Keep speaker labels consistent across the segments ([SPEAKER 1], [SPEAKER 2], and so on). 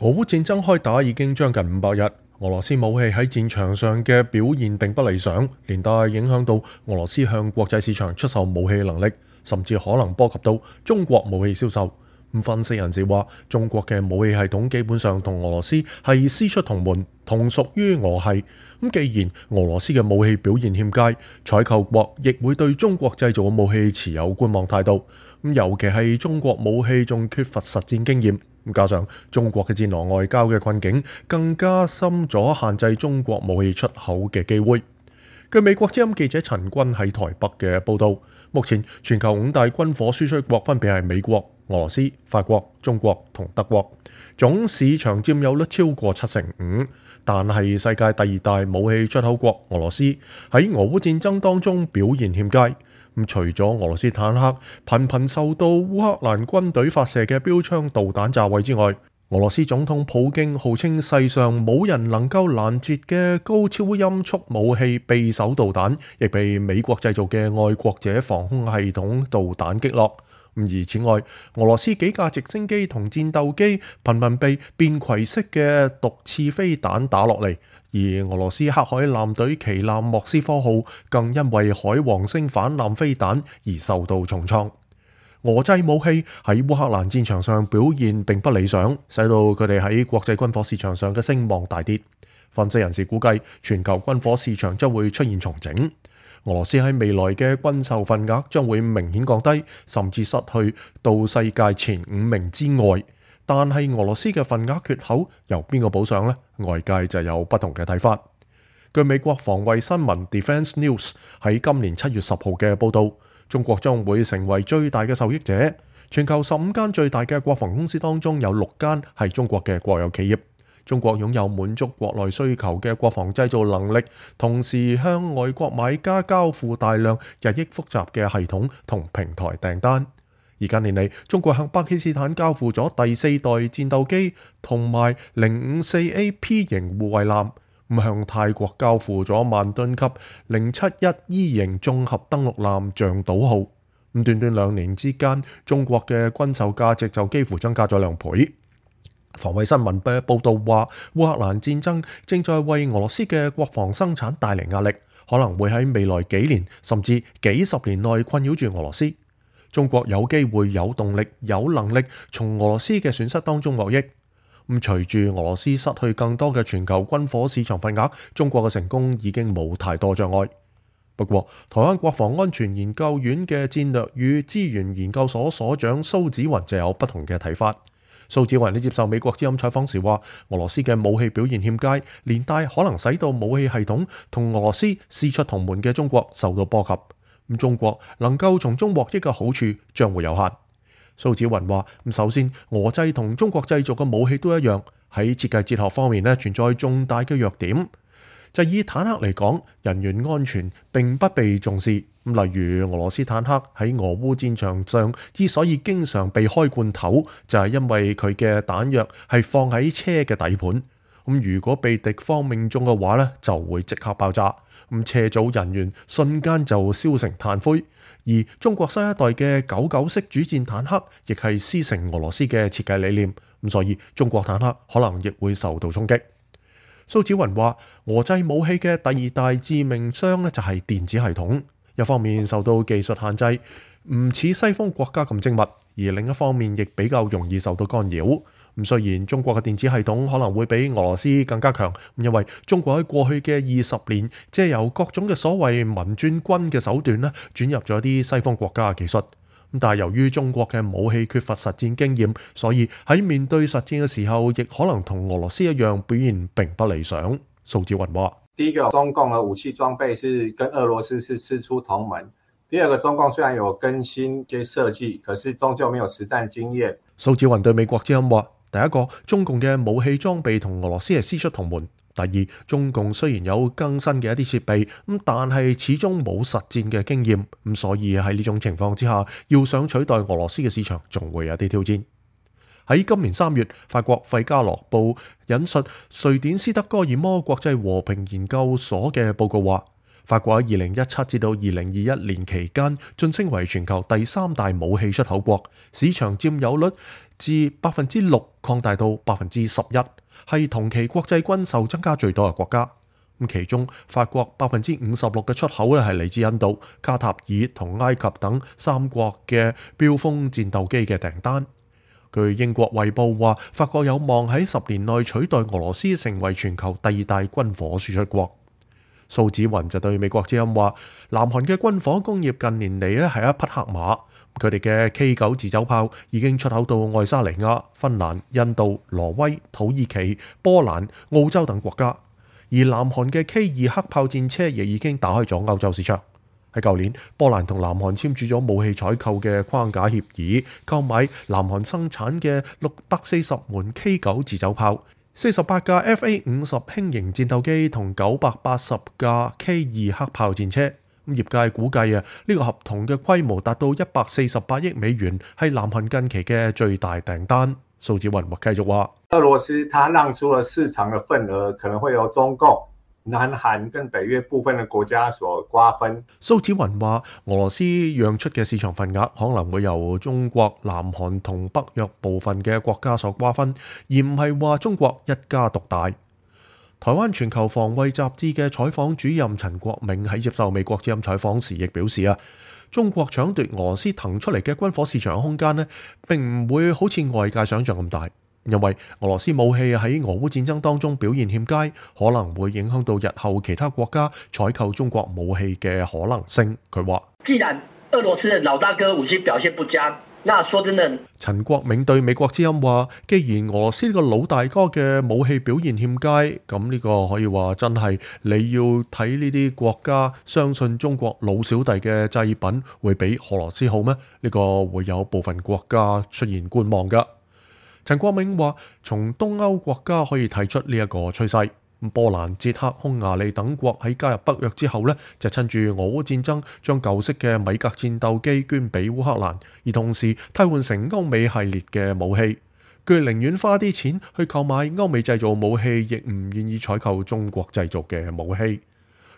[SPEAKER 1] 俄烏戰爭開打已經將近500日，俄羅斯武器喺戰場上嘅表現並不理想，連帶影響到俄羅斯向國際市場出售武器嘅能力，甚至可能波及到中國武器銷售。分析人士話，中國嘅武器系統基本上同俄羅斯係師出同門，同屬於俄系。既然俄羅斯嘅武器表現欠佳，採購國亦會對中國製造嘅武器持有觀望態度。尤其係中國武器仲缺乏實戰經驗，加上中國嘅戰狼外交嘅困境，更加深咗限制中國武器出口嘅機會。據美國之音記者陳軍喺台北嘅報導，目前全球5大軍火輸出國分別係美國、俄羅斯、法國、中國同德國，總市場佔有率超過75%。但係世界第2大武器出口國俄羅斯喺俄烏戰爭當中表現欠佳。除咗俄羅斯坦克頻頻受到烏克蘭軍隊發射嘅標槍導彈炸毀之外，俄羅斯總統普京號稱世上冇人能夠攔截嘅高超音速武器匕首導彈，亦被美國製造嘅愛國者防空系統導彈擊落。而此外，俄羅斯幾架直升機同戰鬥機頻頻被便攜式嘅毒刺飛彈打落嚟，而俄羅斯黑海艦隊旗艦莫斯科號更因為海王星反艦飛彈而受到重創。俄製武器喺烏克蘭戰場上表現並不理想，使到佢哋喺國際軍火市場上嘅聲望大跌。分析人士估計，全球軍火市場將會出現重整。俄羅斯喺未來嘅軍售份額將會明顯降低，甚至失去到世界前5名之外。但係俄羅斯嘅份額缺口由邊個補上呢？外界就有不同嘅睇法。據美國防衛新聞 Defense News 喺今年7月10號嘅報導，中國將會成為最大嘅受益者。全球15間最大嘅國防公司當中有6間係中國嘅國有企業。中國擁有滿足國內需求嘅國防製造能力，同時向外國買家交付大量日益複雜嘅系統同平台訂單。而近年嚟，中國向巴基斯坦交付咗第4代戰鬥機同埋054AP 型護衛艦，向泰國交付咗萬噸級071E 型綜合登陸艦象島號。短短2年之間，中國嘅軍售價值就幾乎增加咗2倍。防衛新聞嘅報導話，烏克蘭戰爭正在為俄羅斯嘅國防生產帶嚟壓力，可能會喺未來幾年甚至幾十年內困擾住俄羅斯。中國有機會有動力、有能力從俄羅斯嘅損失當中獲益。隨住俄羅斯失去更多嘅全球軍火市場份額，中國嘅成功已經冇太多障礙。不過，台灣國防安全研究院嘅戰略與資源研究所所長蘇紫雲就有不同嘅睇法。蘇紫雲喺接受美國之音採訪時話，俄羅斯嘅武器表現欠佳，連帶可能使到武器系統同俄羅斯師出同門嘅中國受到波及。中國能夠從中獲益嘅好處將會有限。蘇紫雲話，首先，俄製同中國製造嘅武器都一樣，喺設計哲學方面存在重大嘅弱點。就以坦克嚟講，人員安全並不被重視。例如俄羅斯坦克喺俄烏戰場上之所以經常被開罐頭，就係因為佢嘅彈藥係放喺車嘅底盤。如果被敵方命中嘅話就會即刻爆炸。車組人員瞬間就燒成炭灰。而中國新一代嘅99式主戰坦克亦係師承俄羅斯嘅設計理念。所以中國坦克可能亦會受到衝擊。蘇紫雲話，俄製武器嘅第2大致命傷就係電子系統。一方面受到技術限制，唔似西方國家咁精密，而另一方面亦比較容易受到干擾。雖然中國嘅電子系統可能會比俄羅斯更加強，因為中國喺過去嘅20年借由各種嘅所謂民轉軍嘅手段轉入咗啲西方國家嘅技術。但係由於中國嘅武器缺乏實戰經驗，所以喺面對實戰嘅時候，亦可能同俄羅斯一樣表現並不理想。蘇紫雲話：
[SPEAKER 2] 第一個，中共嘅武器裝備是跟俄羅斯是師出同門；第二個，中共雖然有更新一些設計，可是終究沒有實戰經驗。
[SPEAKER 1] 蘇紫雲對美國之音話：第一個，中共嘅武器裝備同俄羅斯係師出同門。第二，中共雖然有更新嘅一啲設備，但係始終冇實戰嘅經驗，所以喺呢種情況之下，要想取代俄羅斯嘅市場，仲會有啲挑戰。喺今年3月，法國費加羅報引述瑞典斯德哥爾摩國際和平研究所嘅報告話，法國喺2017至到2021年期間晉升為全球第3大武器出口國，市場佔有率自6%擴大到11%，係同期國際軍售增加最多嘅國家。咁其中法國56%嘅出口咧係嚟自印度、卡塔爾同埃及等三國嘅飆風戰鬥機嘅訂單。據英國衛報話，法國有望喺10年內取代俄羅斯成為全球第2大軍火輸出國。蘇紫雲就對美國之音話，南韓嘅軍火工業近年嚟咧係一匹黑馬，佢哋嘅 K9 自走炮已經出口到愛沙尼亞、芬蘭、印度、挪威、土耳其、波蘭、澳洲等國家。而南韓嘅 K2 黑炮戰車亦已經打開咗歐洲市場。喺舊年，波蘭同南韓簽署咗武器採購嘅框架協議，購買南韓生產嘅640門 K9 自走炮、48架 FA50 輕型戰鬥機同980架 K2 黑炮戰車。業界估計呢個合同嘅規模達到148億美元，係南韓近期嘅最大訂單。蘇紫雲繼續話，
[SPEAKER 2] 俄羅斯它讓出了市場嘅份額，可能會由中共、南韓跟北約部分嘅國家所瓜分。
[SPEAKER 1] 蘇紫雲話，俄羅斯讓出嘅市場份額可能會由中國、南韓同北約部分嘅國家所瓜分，而唔係話中國一家獨大。台灣全球防衛雜誌嘅採訪主任陳國銘喺接受美國之音採訪時亦表示中國搶奪俄羅斯騰出嚟嘅軍火市場空間呢，並唔會好似外界想象咁大，因為俄羅斯武器喺俄烏戰爭當中表現欠佳，可能會影響到日後其他國家採購中國武器嘅可能性。佢話：
[SPEAKER 3] 既然俄羅斯嘅老大哥武器表現不佳，那說真的，
[SPEAKER 1] 陳國銘對美國之音話：既然俄羅斯呢個老大哥嘅武器表現欠佳，咁呢個可以話真係你要睇呢啲國家相信中國老小弟嘅製品會比俄羅斯好咩？呢個會有部分國家出現觀望㗎。陳國銘話：從東歐國家可以睇出呢一個趨勢。波蘭、捷克、匈牙利等國喺加入北約之後呢，就趁住俄烏戰爭將舊式嘅米格戰鬥機捐俾烏克蘭，而同時替換成歐美系列嘅武器。佢寧願花啲錢去購買歐美製造武器，亦唔願意採購中國製造嘅武器。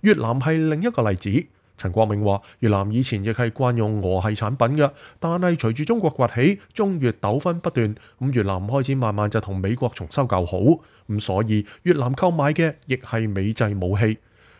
[SPEAKER 1] 越南係另一個例子。陳國銘話：越南以前亦係慣用俄系產品嘅，但係隨住中國崛起，中越糾紛不斷，越南開始慢慢就同美國重修舊好，所以越南購買嘅亦係美製武器。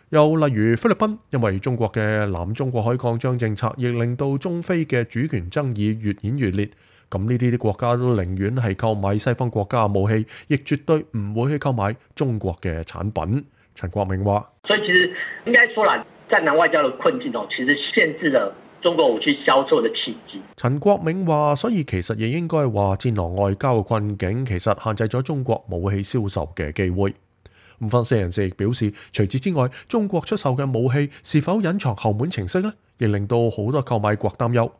[SPEAKER 1] 又例如菲律賓，因為中國嘅南中國海擴張政策，亦令到中菲嘅主權爭議越演越烈。咁呢啲國家都寧願係購買西方國家嘅武器，亦絕對唔會去購買中國嘅產品。陳國銘話：
[SPEAKER 3] 所以其實應該說啦，戰狼外交的困境其實限制了中國武器銷售的契機。
[SPEAKER 1] 陳國銘話：所以其實亦應該話，戰狼外交嘅困境其實限制咗中國武器銷售嘅機會。分析人士亦表示，除此之外，中國出售嘅武器是否隱藏後門程式呢？亦令到好多購買國擔憂。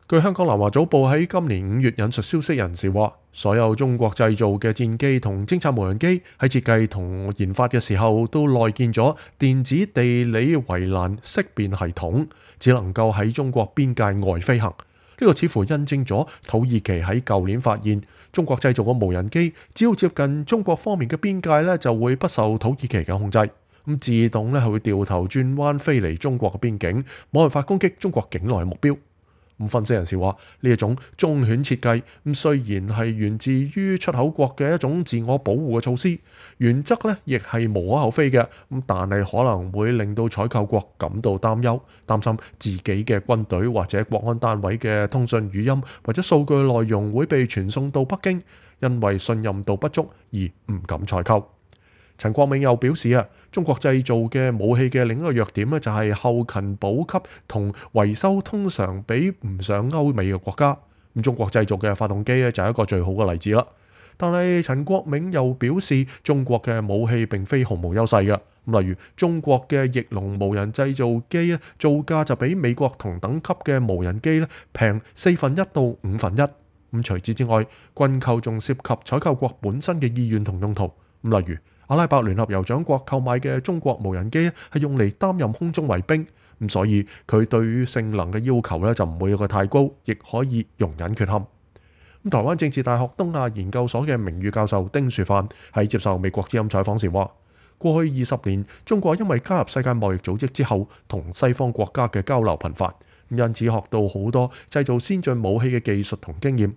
[SPEAKER 1] 據香港南華早報喺今年5月引述消息人士話，所有中國製造嘅戰機同偵察無人機喺設計同研發嘅時候都內建咗電子地理圍欄識別系統，只能夠喺中國邊界外飛行。呢個似乎印證咗土耳其喺舊年發現中國製造嘅無人機只要接近中國方面嘅邊界呢，就會不受土耳其嘅控制，自動係會掉頭轉彎飛離中國嘅邊境，冇辦法攻擊中國境內嘅目標。分析人士話，呢一種忠犬設計雖然係源自於出口國嘅一種自我保護嘅措施，原則亦係無可厚非嘅，但係可能會令到採購國感到擔憂，擔心自己嘅軍隊或者國安單位嘅通訊語音或者數據內容會被傳送到北京，因為信任度不足而唔敢採購。陳國銘又表示中國製造嘅武器嘅另一個弱點就係後勤補給同維修通常比唔上歐美嘅國家。中國製造嘅發動機就係一個最好嘅例子啦。但係陳國銘又表示，中國嘅武器並非毫無優勢嘅。例如中國嘅翼龍無人製造機造價就比美國同等級嘅無人機平1/4到1/5。除此之外，軍購仲涉及採購國本身嘅意願同用途。例如阿拉伯聯合酋長國購買嘅中國無人機係用嚟擔任空中衛兵，所以佢對於性能嘅要求就唔會有個太高，亦可以容忍缺陷。台灣政治大學東亞研究所嘅名譽教授丁樹範喺接受美國之音採訪時話：過去20年，中國因為加入世界貿易組織之後，同西方國家嘅交流頻繁，因此學到好多製造先進武器嘅技術同經驗。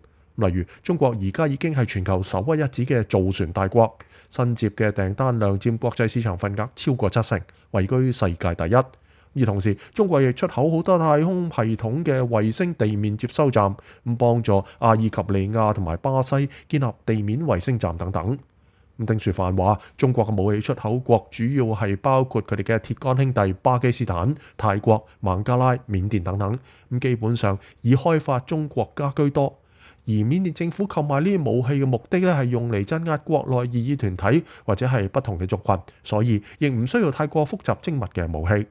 [SPEAKER 1] 例如中國而家已經係全球首屈一指嘅造船大國，新接嘅訂單量佔國際市場份額超過70%，位居世界第一。而同時，中國亦出口好多太空系統嘅衛星地面接收站，咁幫助阿爾及利亞同埋巴西建立地面衛星站等等。丁雪範話：中國嘅武器出口國主要係包括佢哋嘅鐵桿兄弟巴基斯坦、泰國、孟加拉、緬甸等等，咁基本上以開發中國家居多。而緬甸政府購買呢啲武器嘅目的咧，係用嚟鎮壓國內異議團體或者係不同嘅族群，所以亦唔需要太過複雜精密嘅武器。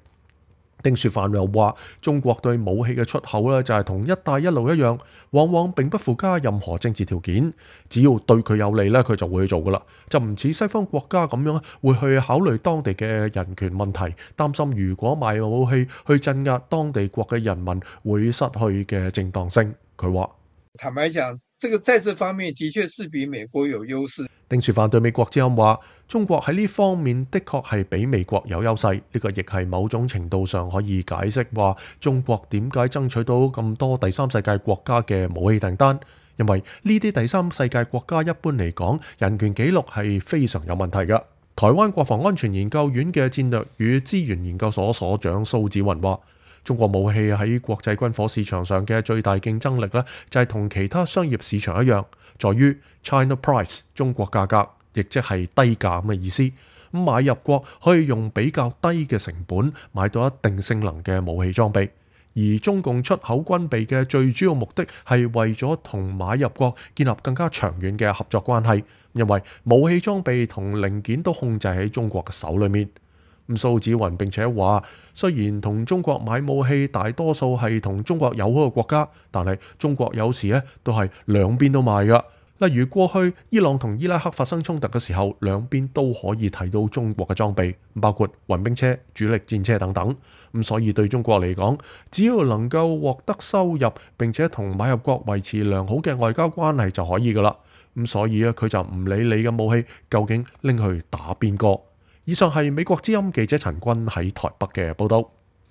[SPEAKER 1] 丁雪範又話：中國對武器嘅出口咧，就係同一帶一路一樣，往往並不附加任何政治條件，只要對佢有利咧，佢就會去做噶啦，就唔似西方國家咁樣會去考慮當地嘅人權問題，擔心如果賣武器去鎮壓當地國嘅人民會失去嘅正當性。佢話：
[SPEAKER 4] 坦白講，在這方面的確是比美國有優勢。
[SPEAKER 1] 丁雪範對美國之音話：中國喺呢方面的確係比美國有優勢，呢個亦係某種程度上可以解釋話中國點解爭取到咁多第三世界國家嘅武器訂單，因為呢啲第三世界國家一般嚟講人權紀錄係非常有問題嘅。台灣國防安全研究院嘅戰略與資源研究所所長蘇紫雲話：中國武器喺國際軍火市場上嘅最大競爭力呢，就係同其他商業市場一樣，在於 China Price 中國價格，亦即係低價咁嘅意思。咁買入國可以用比較低嘅成本買到一定性能嘅武器裝備，而中共出口軍備嘅最主要目的係為咗同買入國建立更加長遠嘅合作關係，因為武器裝備同零件都控制喺中國嘅手裏面。蘇紫雲並且話：雖然同中國買武器大多數係同中國友好嘅國家，但係中國有時咧都係兩邊都賣㗎。例如過去伊朗同伊拉克發生衝突嘅時候，兩邊都可以睇到中國嘅裝備，包括運兵車、主力戰車等等。所以對中國嚟講，只要能夠獲得收入並且同買入國維持良好嘅外交關係就可以㗎啦。所以佢就唔理你嘅武器究竟拎去打邊個。以上係美國之音記者陳君喺台北嘅報道。